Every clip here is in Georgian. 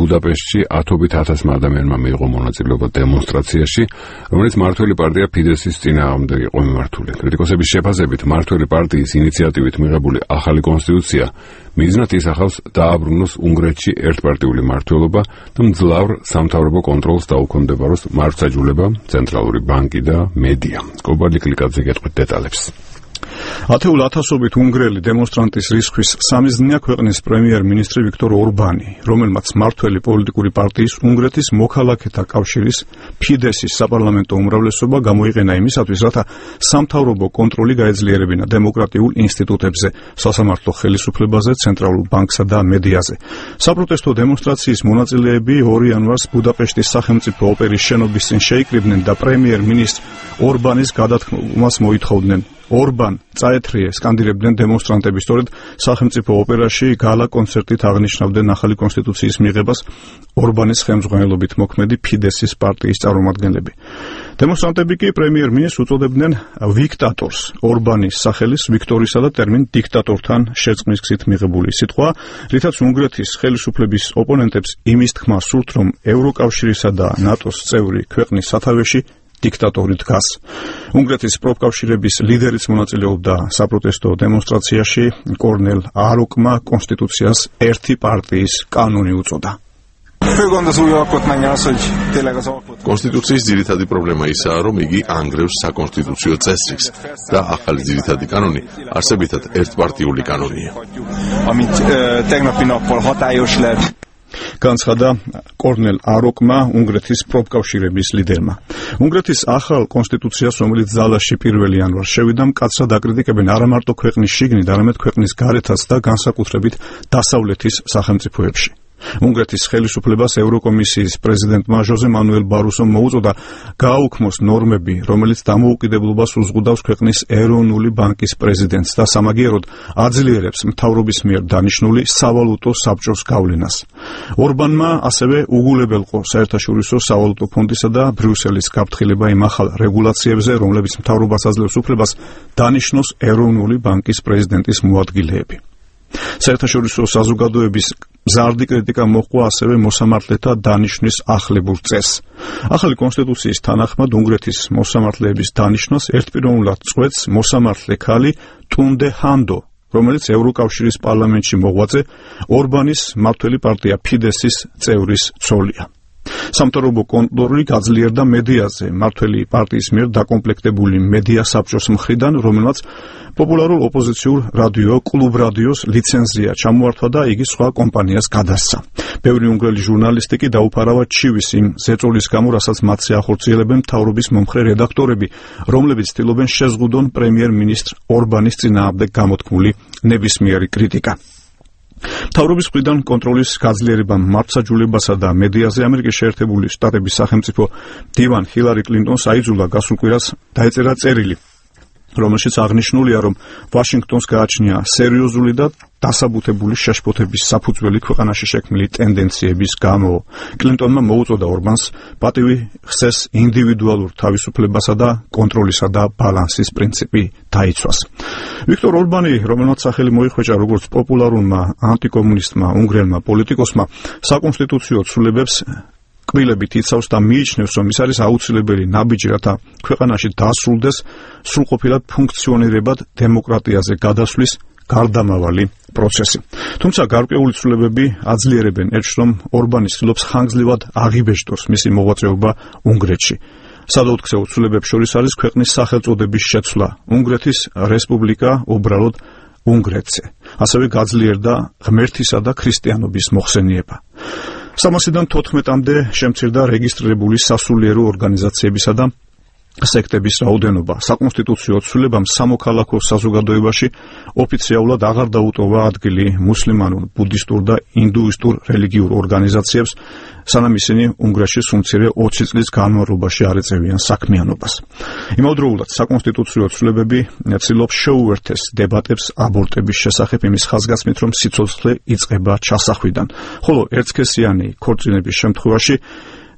ბუდაპეშტში 10,000 ადამიანმა მიიღო მონაწილეობა დემონსტრაციაში, რომელიც მმართველი პარტია ფიდესის წინააღმდეგ იყო მიმართული. კრიტიკოსების შეფასებით, მმართველი პარტიის ინიციატივით მიღებული ახალი კონსტიტუცია მიზნად ისახავს დააბრუნოს უნგრეთში ერთპარტიული მმართველობა და მძლავრ სამთავრობო კონტროლს დაუქვემდებაროს მართლმსაჯულება, ცენტრალური ბანკი და მედია. კობალი კლიკაძე გეტყვით დეტალებს. ათეულ ათასობით უნგრელი დემონსტრანტის რისხვის სამიზნეა ქვეყნის პრემიერ-მინისტრი ვიქტორ ორბანი, რომელმაც მმართველი პოლიტიკური პარტიის უნგრეთის მოქალაქეთა კავშირის ფიდესის საპარლამენტო უმრავლესობა გამოიყენა იმისათვის, რათა სამთავრობო კონტროლი გაეძლიერებინა დემოკრატიულ ინსტიტუტებზე, სასამართლო ხელისუფლებაზე, ცენტრალურ ბანკსა და მედიაზე. საპროტესტო დემონსტრაციის მონაწილეები 2 იანვარს ბუდაპეშტის სახელმწიფო ოპერის შენობის წინ შეიკრიბნენ და პრემიერ-მინისტრ ორბანის გადათქმულებას მოითხოვდნენ. ორბან წაეთრიე სკანდირებდნენ დემონსტრანტები, სწორედ სახელმწიფო ოპერაში გალა კონცერტით აღნიშნავდნენ ახალი კონსტიტუციის მიღებას ორბანის ხელმძღვანელობით მოქმედი ფიდესის პარტიის წარმომადგენლები. დემონსტრანტები კი პრემიერ-მინისტრს უწოდებდნენ ვიქტატორს. ორბანის სახელის ვიქტორისა და ტერმინ დიქტატორთან შერწყმის გზით მიღებული სიტყვა, რითაც უნგრეთის ხელისუფლების ოპონენტებს იმის თქმა სურთ, რომ ევროკავშირისა და ნატოს წევრი ქვეყნის სათავეში დიქტატორი დგას. უნგრეთის პროფკავშირების ლიდერიც მონაწილეობდა საპროტესტო დემონსტრაციაში. კორნელ აროკმა კონსტიტუციას ერთი პარტიის კანონი უწოდა. კონსტიტუციის ძირითადი პრობლემა ისაა, რომ იგი ანგრევს საკონსტიტუციო წესრიგს და ახალი ძირითადი კანონი არსებითად ერთპარტიული კანონია. განცხადა კორნელ აროკმა, უნგრეთის პროფკავშირების ლიდერმა. უნგრეთის ახალ კონსტიტუციას, რომელიც ძალაში 1 იანვარს შევიდა, მკაცრად აკრიტიკებენ არა მარტო ქვეყნის შიგნით, არამედ ქვეყნის გარეთაც და განსაკუთრებით დასავლეთის სახელმწიფოებში. უნგრეთის ხელისუფლებას ევროკომისიის პრეზიდენტმა ჟოზე მანუელ ბარუსომ მოუწოდა გააუქმოს ნორმები, რომელიც დამოუკიდებლობას უზღუდავს ქვეყნის ეროვნული ბანკის პრეზიდენტს და სამაგიეროდ აძლიერებს მთავრობის მიერ დანიშნული სავალუტო საბჭოს გავლენას. ორბანმა ასევე უგულებელყო საერთაშორისო სავალუტო ფონდისა და ბრიუსელის გაფრთხილება იმ ახალ რეგულაციებზე, რომლებიც მთავრობას აძლევს უფლებას დანიშნოს ეროვნული ბანკის პრეზიდენტის მოადგილეები. საერთაშორისო საზოგადოების მზარდი კრიტიკა მოჰყვა ასევე მოსამართლეთა დანიშვნის ახლებურ წესს. ახალი კონსტიტუციის თანახმად უნგრეთის მოსამართლეების დანიშვნას ერთპიროვნულად წყვეტს მოსამართლე ქალი ტუნდე ჰანდო, რომელიც ევროკავშირის პარლამენტში მოღვაწე ორბანის მმართველი პარტია ფიდესის წევრის ცოლია. სამთავრობო კონტროლი გაძლიერდა მედიაზე, მმართველი პარტიის მიერ დაკომპლექტებული მედია საბჭოს მხრიდან, რომელმაც პოპულარულ ოპოზიციურ რადიო კლუბ რადიოს ლიცენზია ჩამოართვა და იგი სხვა კომპანიას გადასცა. ბევრი უნგრელი ჟურნალისტი კი დაუფარავა ჩივის იმ ზეწოლის გამო, რასაც მათზე ახორციელებენ მთავრობის მომხრე რედაქტორები, რომლებიც ცდილობენ შეზღუდონ პრემიერ-მინისტრ ორბანის წინააღმდეგ გამოთქმული ნებისმიერი კრიტიკა. მთავრობის მხრიდან კონტროლის გაძლიერებამ მართლმსაჯულებასა და მედიაზე ამერიკის შეერთებული შტატების სახელმწიფო მდივან ჰილარი კლინტონს აიძულა გასულ კვირას დაეწერა წერილი, რომელშიც აღნიშნულია, რომ ვაშინგტონს გააჩნია სერიოზული და დასაბუთებული შეშფოთების საფუძველი ქვეყანაში შექმნილი ტენდენციების გამო. კლინტონმა მოუწოდა ორბანს პატივი ხსეს ინდივიდუალურ თავისუფლებასა და კონტროლისა და ბალანსის პრინციპი დაიცვას. ვიქტორ ორბანი, რომელმაც სახელი მოიხვეჭა როგორც პოპულარულმა ანტიკომუნისტმა უნგრელმა პოლიტიკოსმა, საკონსტიტუციო ცვლილებებს კბილებით იცავს და მიიჩნევს, რომ ის არის აუცილებელი ნაბიჯი, რათა ქვეყანაში დასრულდეს სრულყოფილად ფუნქციონირებად დემოკრატიაზე გადასვლის გარდამავალი პროცესი. თუმცა გარკვეული ცვლილებები აძლიერებენ ერთს, რომ ორბანი ცდილობს ხანგრძლივად აღიბეჭდოს მისი მოღვაწეობა უნგრეთში. სადაუთქცეო ცვლილებებს შორის არის ქვეყნის სახელწოდების შეცვლა, უნგრეთის რესპუბლიკა უბრალოდ უნგრეთზე. ასევე გაძლიერდა ღმერთისა და ქრისტიანობის მოხსენიება. 300-დან 14-მდე შემცირდა რეგისტრირებული სასულიერო ორგანიზაციებისა და სექტების რაოდენობა. საკონსტიტუციო ცვლილებამ სამოქალაქო საზოგადოებაში ოფიციალურად აღარ დაუტოვა ადგილი მუსლიმანურ, ბუდისტურ და ინდუისტურ რელიგიურ ორგანიზაციებს, სანამ ისინი უნგრეთში სულ მცირე 20 წლის განმავლობაში არ ეწევიან საქმიანობას. იმავდროულად საკონსტიტუციო ცვლილებები ცდილობს შეუერთეს დებატებს აბორტების შესახებ იმის ხაზგასმით, რომ სიცოცხლე იწყება ჩასახვიდან, ხოლო ერთსქესიანი ქორწინების შემთხვევაში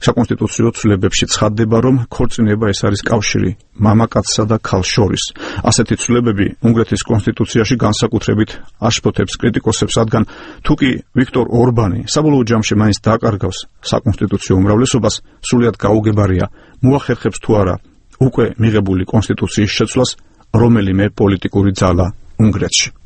საკონსტიტუციო ცვლილებებში ცხადდება, რომ ქორწინება ეს არის კავშირი მამაკაცსა და ქალს შორის. ასეთი ცვლილებები უნგრეთის კონსტიტუციაში განსაკუთრებით აშფოთებს კრიტიკოსებს, რადგან თუკი ვიქტორ ორბანი საბოლოო ჯამში მაინც დააკარგავს საკონსტიტუციო უმრავლესობას, სრულიად გაუგებარია მოახერხებს თუ არა უკვე მიღებული კონსტიტუციის შეცვლას რომელიმე პოლიტიკური ძალა უნგრეთში.